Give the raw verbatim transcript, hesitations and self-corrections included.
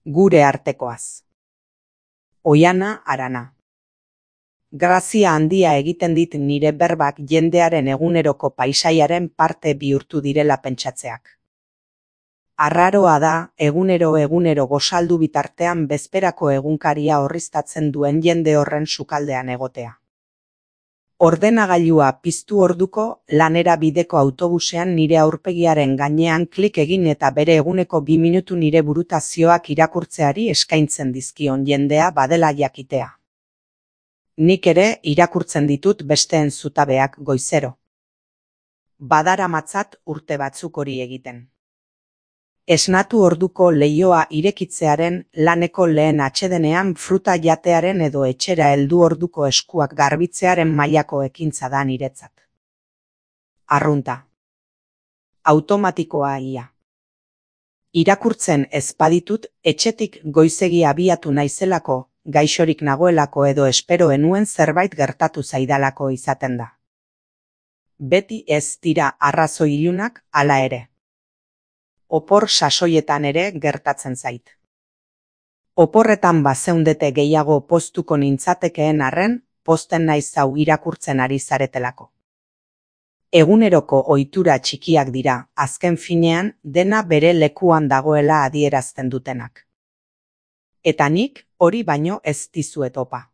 Gure artekoaz. Oiana Arana. Grazia handia egiten dit nire berbak jendearen eguneroko paisaiaren parte bihurtu direla pentsatzeak. Arraroa da, egunero egunero gozaldu bitartean bezperako egunkaria orriztatzen duen jende horren sukaldean egotea. Ordenagailua piztu orduko, lanera bideko autobusean nire aurpegiaren gainean klik egin eta bere eguneko bi minutu nire burutazioak irakurtzeari eskaintzen dizkion jendea badela jakitea. Nik ere irakurtzen ditut besteen zutabeak goizero. Badaramatzat urte batzuk hori egiten. Esnatu orduko leihoa irekitzearen, laneko lehen atsedenean fruta jatearen edo etxera heldu orduko eskuak garbitzearen mailako ekintza da niretzat. Arrunta. Automatikoa ia. Irakurtzen ez baditut, etxetik goizegi abiatu naizelako, gaixorik nagoelako edo espero enuen zerbait gertatu zaidalako izaten da. Beti ez dira arrazoi ilunak, hala ere. Opor sasoietan ere gertatzen zait. Oporretan bazeundete gehiago poztuko nintzatekeen arren, pozten naiz hau irakurtzen ari zaretelako. Eguneroko ohitura txikiak dira, azken finean, dena bere lekuan dagoela adierazten dutenak. Eta nik hori baino ez dizuet opa.